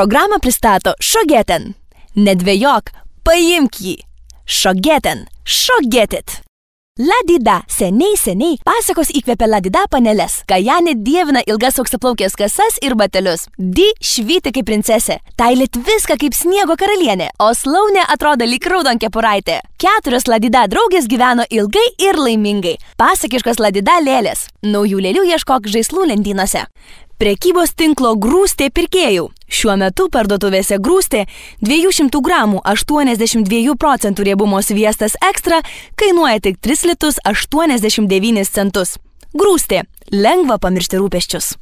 Programą pristato Šogeten. Nedvejok, paimk jį. Šogeten, šogetit. Ladida. Seniai pasakos įkvėpė Ladida paneles. Kajanė dievina ilgas auksaplaukės kasas ir batelius. Di švyti kaip princesė. Tailit viską kaip sniego karalienė. O Slaunė atrodo lyg raudonkepuraitė. 4 Ladida draugės gyveno ilgai ir laimingai. Pasakiškos Ladida lėlės. Naujų lėlių ieškok žaislų lentynose. Prekybos tinklo Grūstė pirkėjų. Šiuo metu parduotuvėse Grūstė 200 gramų 82% riebumo sviestas ekstra kainuoja tik 3 litus 89 centus. Grūstė. Lengva pamiršti rūpesčius.